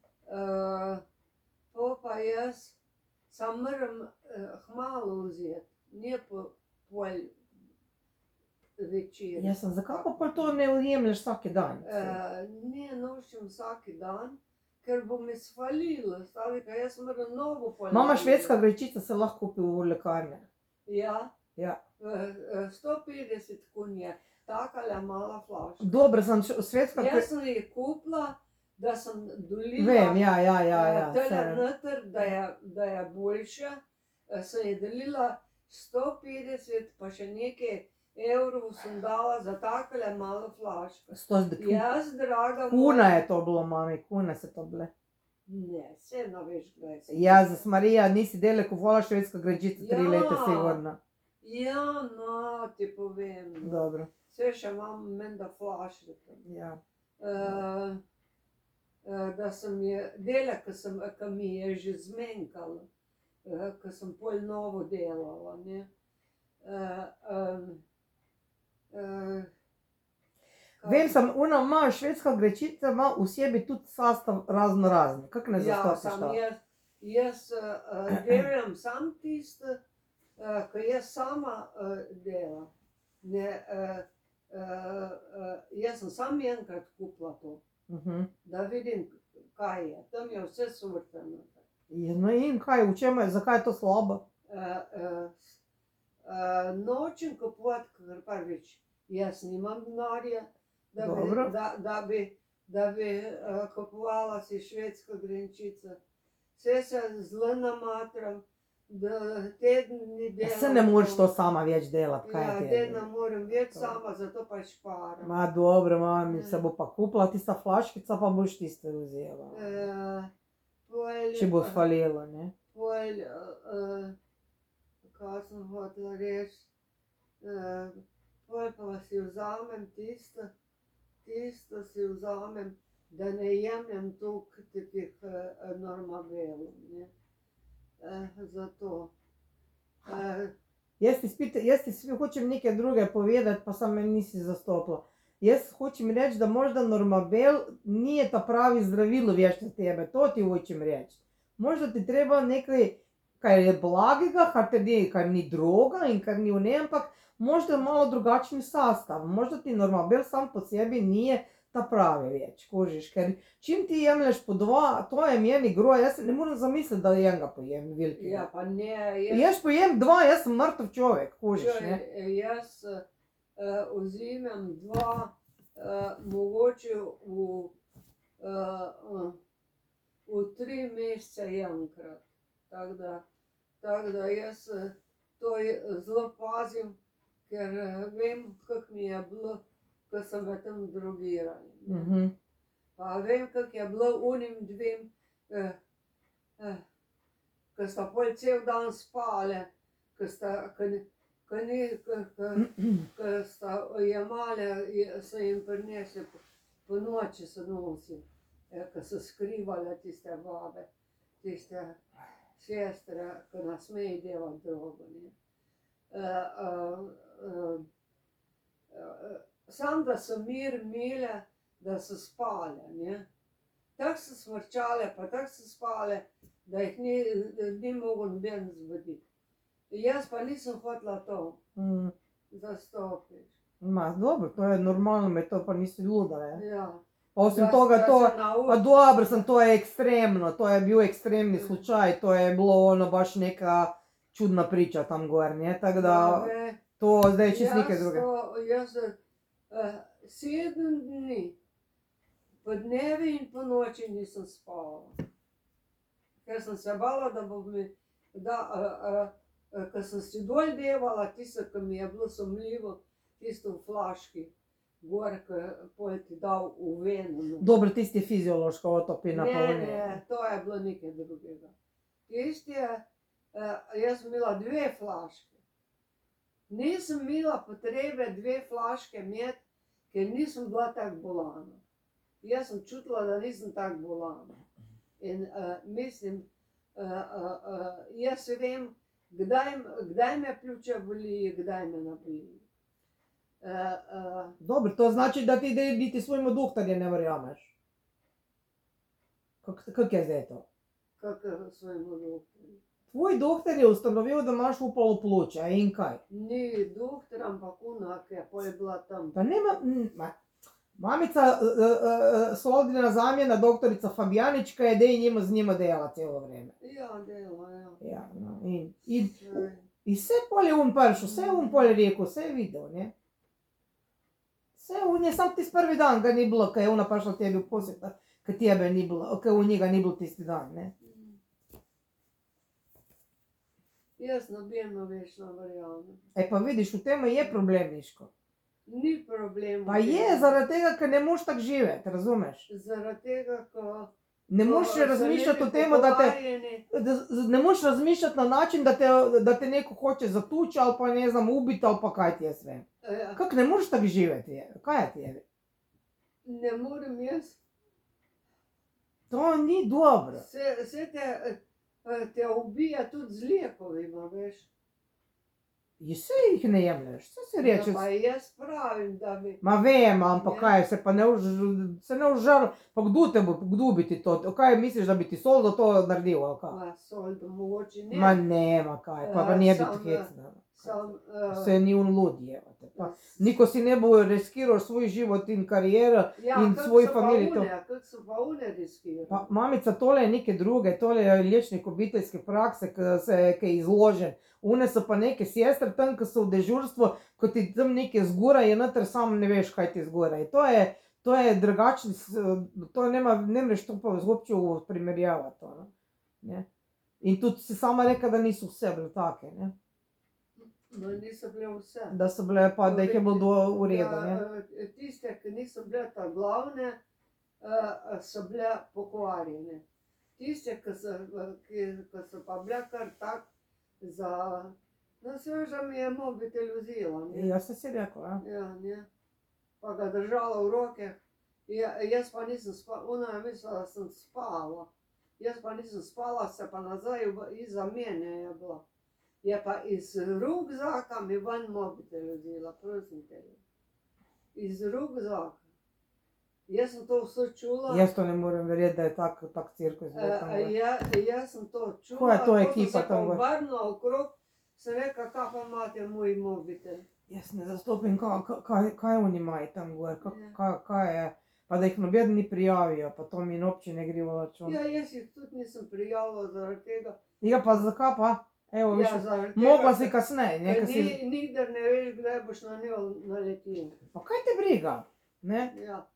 Pa jaz sam moram hmalo vzeti, ne pol večer. Jaz sem, zakaj pa to ne ujemlješ vsaki dan? Ne nošim vsaki dan, ker bo mi svalilo, stavika, jaz moram novo pol. Mama švedska grenčica se lahko kupi v lekarni. Ja? Ja. 150 kun je, takale mala flaška. Dobro, sem švedska... Jaz sem jih kupila, da sem dolila... Vem, ja. Tele noter, da je boljše, sem je delila 150, pa še nekaj evrov sem dala za takole malo flaško. Jaz, draga moja... Kuna je to bilo, mami, kuna se to bile. Ne, se naveš, gledaj se. Jezus Marija, nisi dele kupovala švedska grenčica 3 leta, sigurno. Ja, no, ti povem. Dobro. Vse še imam menda flaške. Ja. Da sem je, dele, ki mi je že zmenkalo, ki sem pol novo delala, ne. Vem sem, ona ima, švedska grenčica ima v sebi tudi sastav razno razni, kako ne zastopiš to? Ja, sam jaz delam sam tisto, ki jaz sama delam. Ne, jaz sem sam enkrat kupila to, da vidim, kaj je, tam je vse sorte. No in kaj, v čem je, zakaj je to slabo? Nočem kupovati, ker prvič, jaz nimam denarja, Dobro. da bi kupovala si švedsko grenčico. Vse se zelo namatram, da teden ni Ja, delam. se ne moreš to sama več delati, kaj Ja, ti te je. ne morem več sama, zato pa šparam. Ma dobro, mami, se bo pa kupila tista flaškica, pa boš tiste vzela. Če bo falilo, ne? Kaj sem hotela reči, pol pa si vzamem tisto si vzamem, da ne jemljem toliko takih Normabelov, ne. Zato. Jaz ti hočem nekaj druge povedati, pa samo me nisi zastopila. Jaz hočem reči, da možda Normabel ni ta pravi zdravilo več za tebe, to ti hočem reči. Možda ti treba nekaj, kar je blagega, kar ni droga in kar ni ampak možda malo drugačen sastav. Možda ti Normabel sam po sebi nije ta pravi več, kužiš, ker čim ti jemlješ po dva, to je meni groja, jaz ne morem zamisliti, da enega pojem velikega. Ja, pa ne, Jaz pojem dva, jaz sem mrtev človek, kužiš, ne. jaz vzimem dva, mogoče v 3 mesece enkrat. Tako da jaz to zelo pazim, ker vem, kako mi je bilo, ko sem v tem drogirali. Pa vem, kako je bilo onim dvem, ko sta pol cel dan spale, ko sta jemale, so jim prinesli, po noči so nosili, ko so skrivale tiste babe, tiste sestre, ko ne smejo delati drogo, ne. Samo da so mir imele, da so spale, ne. Tako so smrčale, pa tako so spale, da jih ni mogel noben zbuditi. Jaz pa nisem hotela to zastopiti. Ma dobro, to je normalno, me to pa nisi luda, ne. Ja. Pa osim toga to, pa dobro sem, to je ekstremno, to je bil ekstremni slučaj, to je bilo ono baš neka čudna priča tam gor, ne, tako da to zdaj je čisto nekaj druge. Jaz 7 dni, po dnevi in po noči nisem spala. Ker sem se bala, da bo mi, ko sem si dol devala, tisto, ko mi je bilo sumljivo, tisto v flaški, gor, ko pol ti dal v veno. Dobro, tisti fiziološko otopina pa Ne, to je bilo nekaj drugega. Tisti je, jaz sem imela 2 flaške. Nisem imela potrebe 2 flaške imeti, ker nisem bila tako bolana. Jaz sem čutila, da nisem tako bolana. In mislim, jaz vem, kdaj me pljuča boli, kdaj me ne boli. Dobro, to znači, da ti niti svojemu doktorju ne verjameš. Kako je zdaj to? Kako svojemu doktorju? Tvoj doktor je ustanovil, da imaš upalo pljuča in kaj? Ni doktor, ampak ona, ki je pol bila tam. Pa nema, mamica Soldina zamjena, doktorica Fabjanička je dej z njima dela celo vreme. Ja, dela, ja. Ja, no, in vse pol je prišel, vse je pol rekel, vse je videl, ne. Vse je, sam tisti prvi dan ga ni bilo, ko je ona prišla tebi v posjet, ko tebe ni bilo, ko njega ni bilo tisti dan, ne. Jaz nobeno več ne verjamem. Pa vidiš, v tem je problem, Miško. Ni problem. Pa je, zaradi tega, ker ne moš tako živeti, razumeš? Zaradi tega, ko Ne moš razmišljati o tem, ne moš razmišljati na način, da te neko hoče zatuči ali pa ne znam ubiti ali pa kaj ti jaz vem. Kako ne moš tako živeti, kaj je tebi? Ne morem jaz. To ni dobro. Vse te ubija tudi z lijekovima, veš. Vse jih ne jemlješ, vse se reče. Pa jaz pravim, da bi... Ma vem, ampak kaj, se ne užar, pa kdo bi ti to, kaj misliš, da bi ti Soldo to naredil, ali kaj? Ma Soldo, mogoče ne. Ma ne, ma kaj, pa nije biti hecna. Sam, Vse ni on lud, jevate. Pa niko si ne bo riskiral svoj život in kariero in svoj familiji. Kako so pa one riskirali? Pa, mamica, tole je neke druge, tole je liječnik obiteljske prakse, ki je izložen. One so pa neke sestre tam, ki so v dežurstvu, ko ti tam neke zgoraj je noter, sam ne veš, kaj ti zgoraj. To je drugačno, to ne moreš to pa zopće primerjavati. Ne? In tudi si sama rekla, da niso vse bile take, ne? No, niso bile vse. Da so bile pa, da jih je bilo v redu, ne? Tiste, ki niso bile ta glavne, so bile pokvarjene. Tiste, ki so pa bile kar tak za... No, sveža mi je mobitel vzela, ne? Ja, sem si rekla, ja. Ja, ne. Pa ga držala v roke. Jaz pa nisem spala, ona je mislila, da sem spala. Jaz pa nisem spala, se pa nazaj iza mene je bila. Je pa iz rukzaka mi ven mobitel vzela, prosim tebe. Iz rukzaka. Jaz sem to vse čula. Jaz to ne morem verjeti, da je tak cirkus. Jaz sem to čula. Ko je to ekipa tam gor? Ko sem se pa obrnila okrog, sem rekla, kaj pa imate moj mobitel. Jaz ne zastopim, kaj oni imajo tam gor, kaj je, pa da jih noben ni prijavijo, pa to mi in občine gre v račun. Ja, jaz jih tudi nisem prijavila zaradi tega. Ja, pa zakaj pa? Evo, viš, mogla si kasneje, ne? Nikdar ne veš, kdaj boš na njo naletel. Pa kaj te briga, ne? Ja.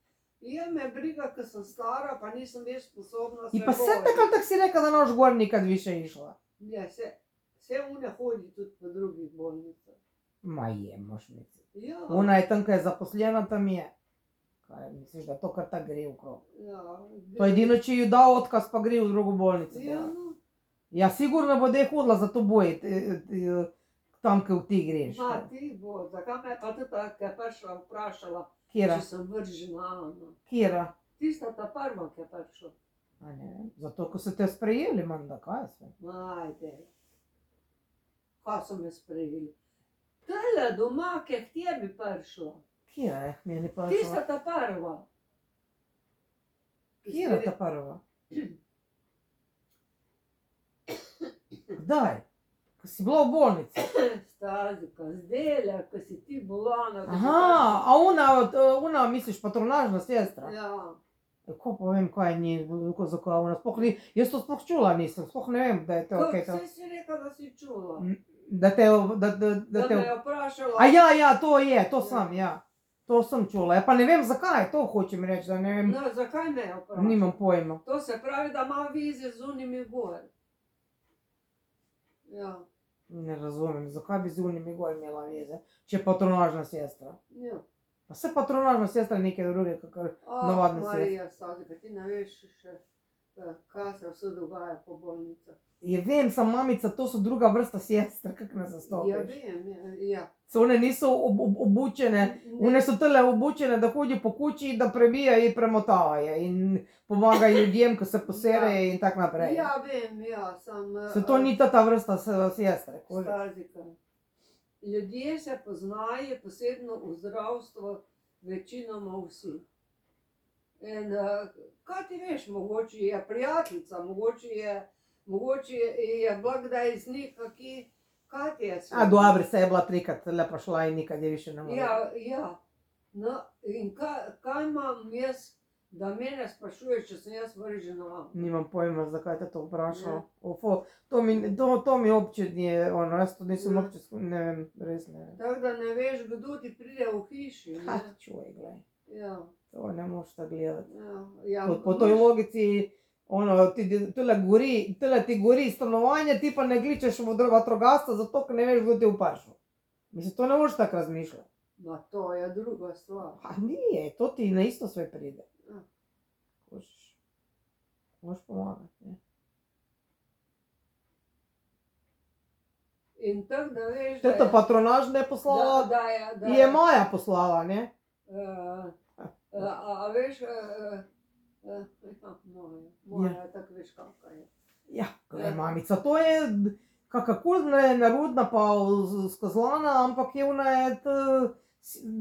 Je me briga, ker sem stara, pa nisem več sposobna se In pa se tako si rekla, da noš gor nikad više išla. Ja, se une hodi tudi po drugih bolnicah. Ma je, moš misliti. Ja. Ona je tam, kaj je zaposlena, tam je. Kaj misliš, da to kar tak gre v krog? Ja. To edino, če ji da otkaz, pa gre v drugo bolnico. Ja, no. Ja, sigurno bo dej hodila za to boj, tam, ko ti greš. Ma, ti bo, zakaj me pa tudi tako je prišla vprašala, Kjera? če sem vržena, Ana. Kjera? Tista ta prva, ki je prišla. A ne, zato, ko so te sprejeli, manda, kaj sve? Ajde. Kaj so me sprejeli? Tele doma, ki je k tebi prišla. Kjera je k meni Tista prišla? ta prva. Kjera ta prva? Kdaj? Ko si bila v bolnici? Stazika, zdajle, ko si ti bolana. Aha, a ona misliš patronažna sestra? Ja. Ko pa vem, kaj ni, zakaj ona sploh ni, jaz to sploh čula nisem, sploh ne vem, da je to okej to. Vse si rekla, da si čula. Da te... Da me je vprašala. A ja, to je, to sem, ja. To sem čula, pa ne vem zakaj, to hočem reči, da ne vem. No, zakaj me je vprašala? Nimam pojma. To se pravi, da ima vize z unimi gor. Ja. Ne razumem, zakaj bi z unimi gor imela veze, če je patronažna sestra. Ja. Pa se patronažna sestra je nekaj druge, kakor navadna sestra. Marija, Stazika, ti ne veš še, kaj se vse dogaja po bolnicah. Je vem, sam mamica, to so druga vrsta sestra, kak ne zastopiš. Ja, vem, ja. So one niso obučene, one so tele obučene, da hodi po kući, da prebijajo in premotavajo in pomagajo ljudem, ko se poserejo in tak naprej. Ja, vem, ja, sem... Se to ni ta vrsta sestre. Stazika. Ljudje se poznajo, posebno v zdravstvu, večinoma vsi. In kaj ti veš, mogoče je prijateljica, mogoče je bila kdaj z njih, kaj ti je sve. A dobro, se je bila trikrat lepa šla in nikad je više ne more. Ja. No, in kaj imam jaz, da mene sprašuješ, če sem jaz vržena? Nimam pojma, zakaj te to vprašala. To mi obče nije, jaz to nisem obče, ne vem, res ne vem. Tako da ne veš, kdo ti pride v hiši. Ha, čuj, glej. Ja. To ne moš tako gledati. Ja. Po toj logici, tyle ti gori stanovanje, ti pa ne gličeš v vatrogasca, zato ker ne veš, kdo ti vprašal. Mislim, to ne moš tako razmišljati. Ma to je druga stvar. A nije, to ti na isto sve pride. Moš pomagati, ne. In tako da veš, da je... Teta patronažna je poslala, je Maja poslala, ne? A veš, moja, tako veš kakva je. Ja, gledaj, mamica, to je kakakul nerodna pa skazlana, ampak je ona je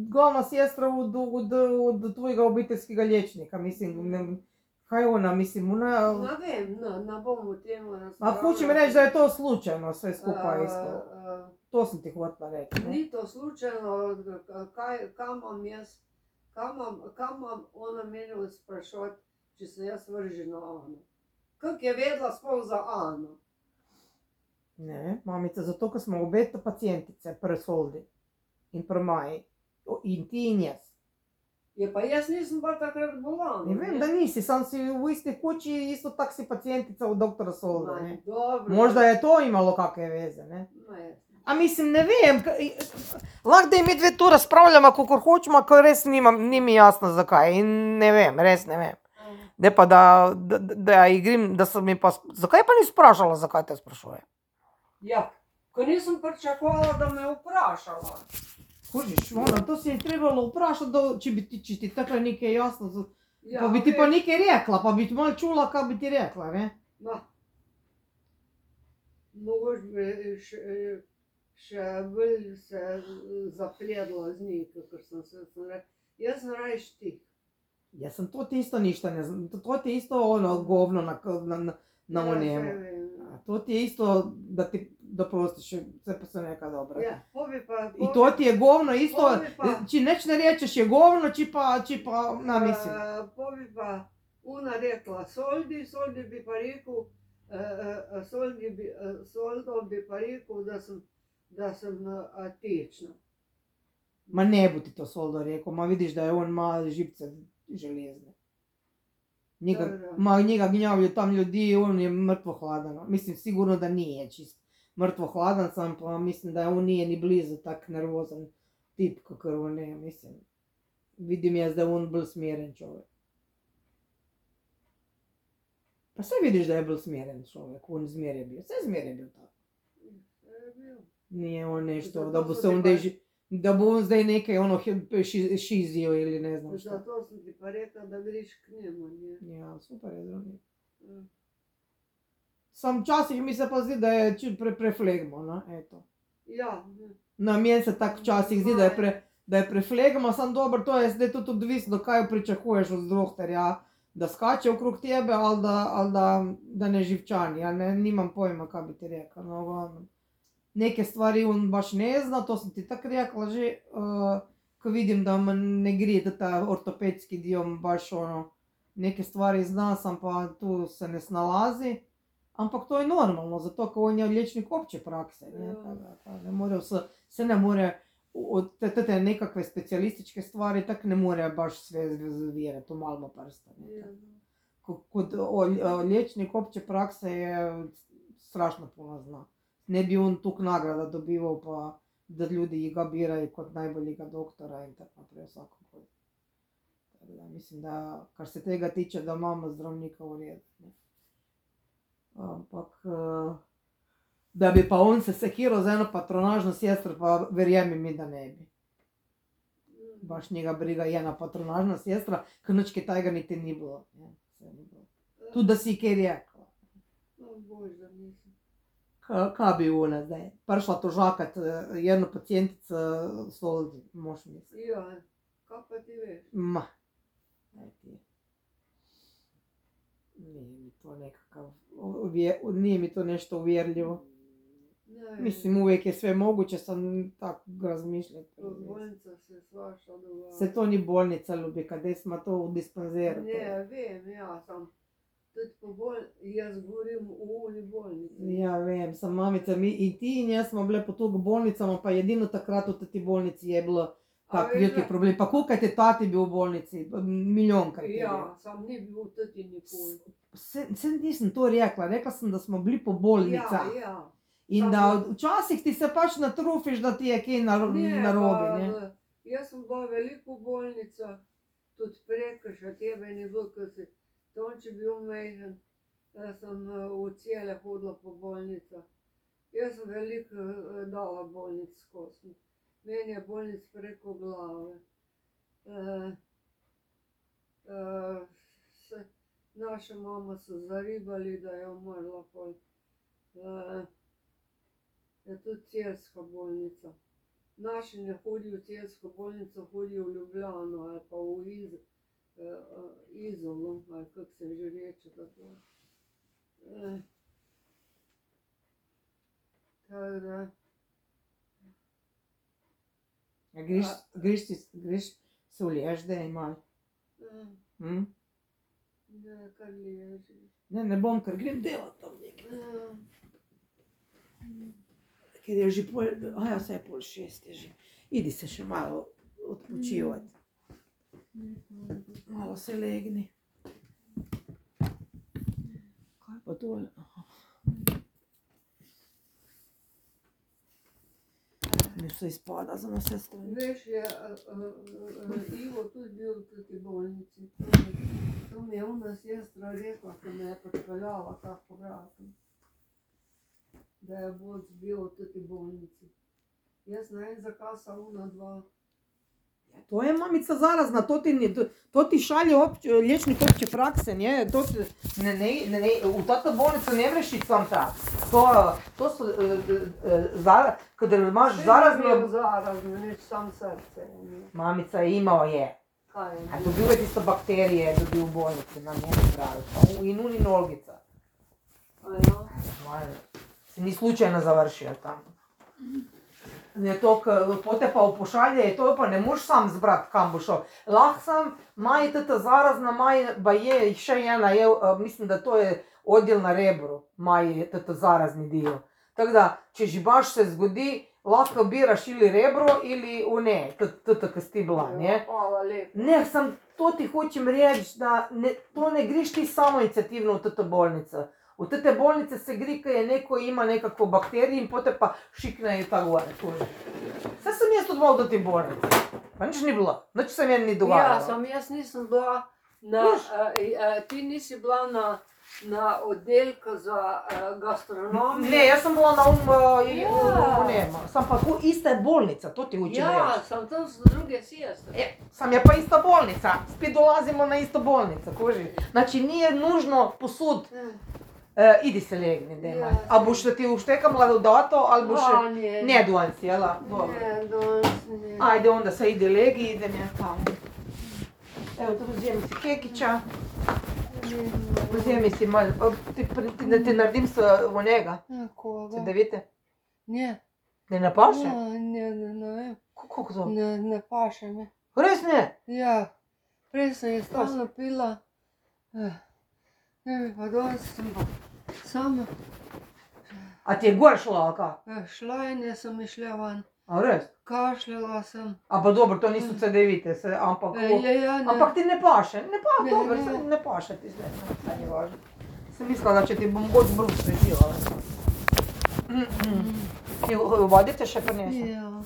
glavna sestra od tvojega obiteljskega liječnika, mislim, kaj ona, mislim, ona... Ne vem, ne bom o tem razpravljala. A hočem reči, da je to slučajno, sve skupaj isto. to sam ti hotela reći. Ne? Ni to slučajno, kam imam jaz, kam imam ona mene sprašovati, če se jaz vržem na Ano. Kako je vedela sploh za Ano? Ne, mamica, zato, ker smo obe pacijentice pri Soldi in pri Maji. In ti in jaz. Je pa jaz nisem bila takrat bolana. Ne vem, da nisi, sam si v isti kući, isto tak si pacijentica od doktora Solda. Ne? Dobro. Možda je to imalo kakve veze, ne? Ma jaz. A mislim, ne vem, lahko da mi dve tu razpravljamo, kakor hočemo, ker res ni mi jasno zakaj. In ne vem, res ne vem. Ne pa da igrim, da sem mi pa, zakaj pa ni sprašala, zakaj te sprašuje? Ja, ko nisem pričakovala, da me vprašala. Kužiš, to si je trebalo vprašati, če ti takle nekaj jasno, Ja, pa bi ti pa veš, nekaj rekla, pa bi ti malo čula, kaj bi ti rekla, ne? ma. Mogoče bi še bolj se zapledla z njih, kakor sem rekla. Jaz sem rajš ti. Jaz sem to ti isto ništa ne znam, to ti isto ono govno na Ja, onemu. saj vem. To ti je isto, da ti doprostiš, vse pa se neka dobra. Ja, pobi pa... I to ti je govno isto, Pobi pa- če neč ne rečeš je govno, če pa, mislim. Pobi pa una rekla Soldi bi pa rekel, Soldo bi pa rekel, da sem tečna. Ma ne bo ti to Soldo rekel, ma vidiš, da je on ima živce železne. Njega gnjavljajo tam ljudi, on je mrtvo hladan. Mislim, sigurno, da nije čist mrtvo hladan, sam pa mislim, da on nije ni blizu tak nervozen tip, kakor on je, mislim. Vidim jaz, da je on bolj smeren človek. Pa saj vidiš, da je bolj smeren človek, on zmer je bil, saj zmer je bil tako. Nije on nešto, da bo se on da bo on zdaj nekaj ono šizijo ili ne znam šta. Zato sem ti pa rekla, da greš k njemu, ne? Ja, super je zdravnik. Ja. Sam včasih mi se pa zdi, da je čut preflegmo, no, eto. Ja, Na meni se tako včasih zdi, da je preflegmo, sam dobro, to je zdaj tudi odvisno, kaj pričakuješ od doktorja, da skače okrog tebe ali da ne živčani, ja nimam pojma, kaj bi ti rekla, no, glavno. Neke stvari on baš ne zna, to sem ti tako rekla že, ko vidim, da mu ne gre, da ta ortopedski dio baš ono, neke stvari zna, sam pa tu se ne snalazi, ampak to je normalno, zato ker on je liječnik opće prakse, ne, ne more se ne more, te nekakve specijalističke stvari tak ne more baš sve zvjerati, to malo prsta, ne. Kod liječnik opće prakse je strašno puno zna. Ne bi on tuk nagrada dobival, pa da ljudi ga biraju kot najboljega doktora in tako naprej vsako god. Tako da mislim, da kar se tega tiče, da imamo zdravnika v redu. Ampak, da bi pa on se sekiral za eno patronažno sestro, pa verjemi mi, da ne bi. Baš njega briga je ena patronažna sestra, ker nič kaj tajega niti ni bilo. Tudi da si kaj rekla. Bož, da nisem. Kaj bi ona zdaj? Prišla tožakat jednu pacijentico Soldi, moš misliti. Ja, kaj pa ti veš? Ma, daj ti. Nije mi to nekakav, nije mi to nešto uvjerljivo. Mislim, uvijek je sve moguće, sam tako razmišljati. Bolnica se svašta dogaja. Se to ni bolnica, ljubika, gdje smo to u dispanzeru. Ne, vem, ja, sam tudi jaz govorim v uni bolnici. Ja, vem, sam mamica, mi i ti in jaz smo bile po toliko bolnicama, pa jedino takrat v teti bolnici je bilo tak veliki problem. Pa koliko je tati bil v bolnici? Milijonkrat je bil. Ja, sam ni bil tati nikoli. Se nisem to rekla sem, da smo bili po bolnicah. Ja, ja. In da včasih ti se pač natrufiš, da ti je kaj narobe, ne? Jaz sem bila veliko v bolnicah, tudi preko še tebe ni bilo, ko si Tonči bil majhen, jaz sem v cele hodila po bolnicah. Jaz sem veliko dala bolnic skozi. Meni je bolnic preko glave. Naša mama so zaribali, da je umrla pol. Je tudi celska bolnica. Naši ne hodijo v celsko bolnico, hodijo v Ljubljano ali pa v Izolo, ali kako se že reče tako. Tako da, Greš se uliješ, da je malo. Ne, kar leži. Ne bom, ker grem delat tam nekaj. Ker je že vse je 5:30 je že. Idi se še malo odpočivati. Malo se legni. Kaj pa tole? Mi vse izpada za nas vse strani. Veš, je Ivo tudi bil v tej bolnici. To mi je ona sestra rekla, ko me je pripeljala ta povratom. Da je Boc bil v tej bolnici. Jaz ne vem, zakaj so ona dva. To je mamica zarazna, to ti šalje liječnik opće prakse, nje, u tata bolnicu ne vreš ići sam tak. To su, kada imaš zarazno... Sve je zarazno, neč sam srce. Mamica je imao je. Kaj je? A dobio je isto bakterije, dobio u bolnici, na njemu pravi. I nuni nolgica. A ja? Si ni slučajno završio tamo. Je to, pote pa upošalje, je to pa ne moš sam zbrat, kam bo šel. Lahko sam, maj tata zarazna, ba je še ena, mislim, da to je odjel na rebru, maj je tata zarazni dio. Tako da, če že baš se zgodi, lahko biraš ili rebro ili ne, tata, ki si ti bila, ne? Hvala lepo. Ne, sam to ti hočem reči, da to ne greš ti samo inicijativno v tata bolnica. V tete bolnice se gre, ko je neko ima nekako bakterij in potem pa šiknejo ta gore. Vse sem jaz odval do te bolnice. Pa nič ni bilo. Nič se meni ni dogajalo. Ja, sam jaz nisem bila ti nisi bila na oddelku za gastronomijo. Ne, jaz sem bila sam pa tu ista je bolnica, to ti hočem reči. Ja, sam tam so druge sestre. Sam je pa ista bolnica. Spet dolazimo na isto bolnico, kuži. Znači, nije nužno posud. Idi se legni, dema. A boš da ti uštekam dodato, ali boš... Ne, danes, jela? Ne, danes ne. Ajde, onda se ide legi, idem ja tamo. Evo, tu vzemi si kekića. Vzemi si malo, da ti naredim v njega. Koga? Se da vidite? Ne. Ne napaše? Ne vem. Kako to? Ne paše me. Res ne? Ja, prej sem je stalno pila. Ne vem, pa danes sem pa sama. A ti je gor šla, ali kaj? Šlajnje sem išla van. A res? Kašljala sem. A pa dobro, to niso CD-vite, ampak... Ja, ne. Ampak ti ne paše, dobro, ne. ne paše ti zdaj, saj ni važno. Sem mislila, da če ti bom god brus prepila. Vodite še prinesem? Ja.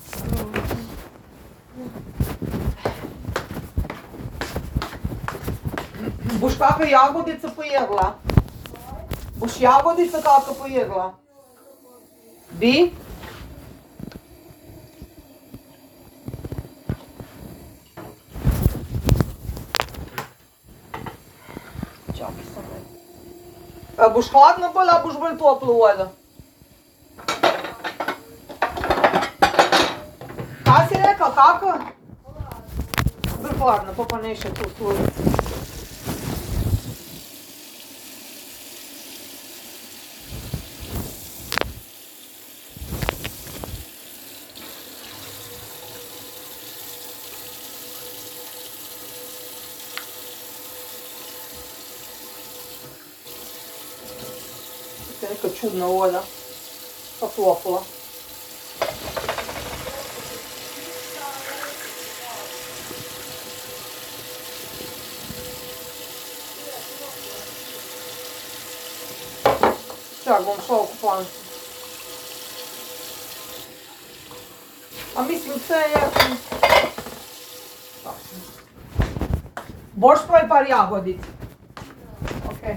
Boš kakšno jagodico pojedla? Boš jagodico kakšno pojedla? Bi? Čakaj samo. Boš hladno bolj, ali boš bolj toplo vodo? Kaj si rekla, kako? Bolj hladno, to pa ne še tu služi. Neka čudna voda, pa topla. Čak, bom šla v kupalnico. A mislim, vse je... Boš pa par jagodic? Okej.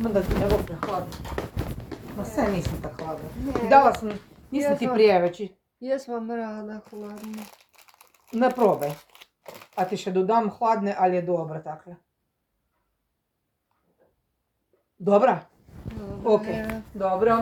Menda ti ne bo prehladno. Ma vse nisem tako hladna. Ne. Dala sem, nisem Jaz ti vam- preveč. Jaz vam rada hladno. Ne probaj. A ti še dodam hladne ali je dobra takle? Dobra? Dobro Ok, je. dobro.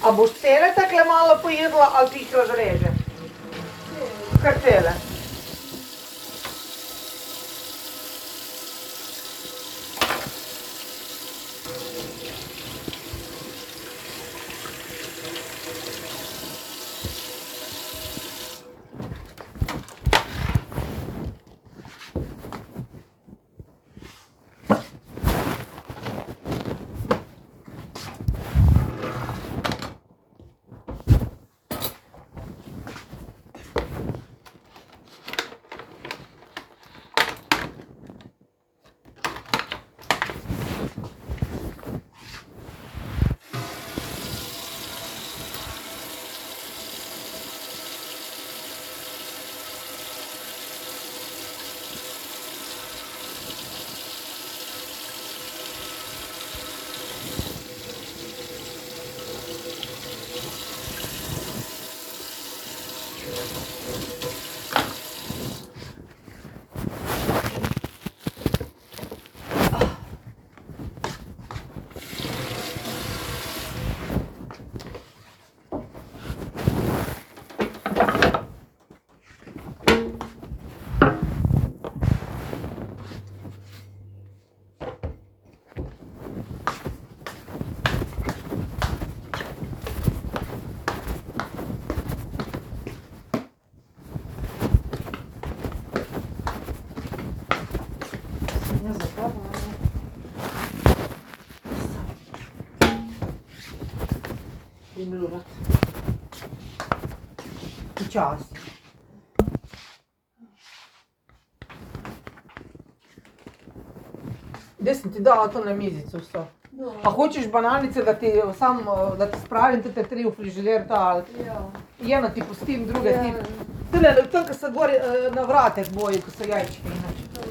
A boš cele takle malo pojedla ali ti jih razreže? Kar cele. Počasi. Zdaj sem ti dala to na mizico vse. No, A hočeš bananice, da ti spravim te 3 v frižider ta ali ja. eno ti pustim, druge Ja. ti. Tule, tam, ko se gori na vratek boji, ko so jajčke inače.